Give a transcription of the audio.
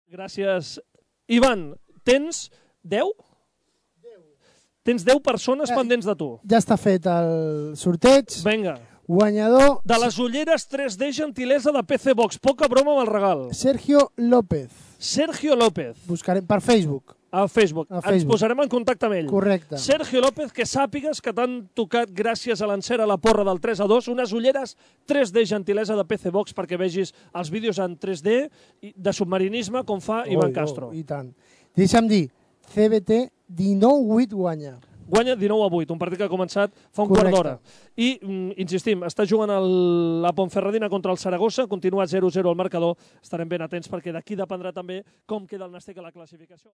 Gràcies. Ivan, tens 10? Tens 10 persones pendents de tu. Ja està fet el sorteig. Vinga. Guanyador... De les ulleres 3D gentilesa de PC Box. Poca broma amb el regal. Sergio López. Sergio López. Buscarem per Facebook. A Facebook. A Facebook. Ens posarem en contacte amb ell. Correcte. Sergio López, que sàpigues que t'han tocat, gràcies a l'encert a la porra del 3-2, unes ulleres 3D gentilesa de PC Box perquè vegis els vídeos en 3D de submarinisme com fa Ivan Castro. I tant. Deixa'm dir, CBT 19-8 guanya. Guanya 19-8, un partit que ha començat fa un quart d'hora. I, insistim, està jugant la Ponferradina contra el Saragossa, continua 0-0 al marcador. Estarem ben atents perquè d'aquí dependrà també com queda el Nàstic a la classificació.